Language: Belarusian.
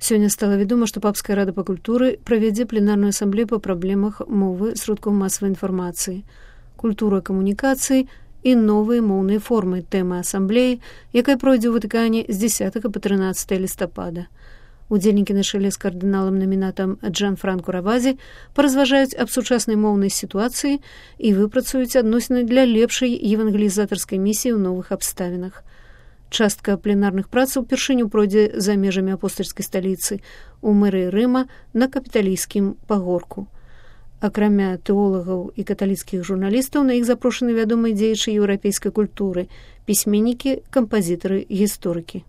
Сёння стала вядома, што Папская рада па культуры правядзе пленарную асамблею па праблемах мовы сродкаў масавай інфармацыі, культура камунікацыі і новыя моўныя формы тэмы асамблеі, якая пройдзе ў Ватыкане з 10 па 13 лістапада. Удзельнікі на чале з кардыналам-намінатам Джанфранко Равазі паразважаюць аб сучаснай моўнай сітуацыі і выпрацуюць адносіны для лепшай евангелізатарскай місіі ў новых абставінах. Частка пленарных працаў упершыню пройдзе за межамі апостальскай сталіцы у мэрыі Рыма на капіталійскім пагорку. Акрамя тэолагаў і каталіцкіх журналістаў на іх запрошаны вядомыя дзеячы еўрапейскай культуры, пісьменнікі, кампазітары, гісторыкі.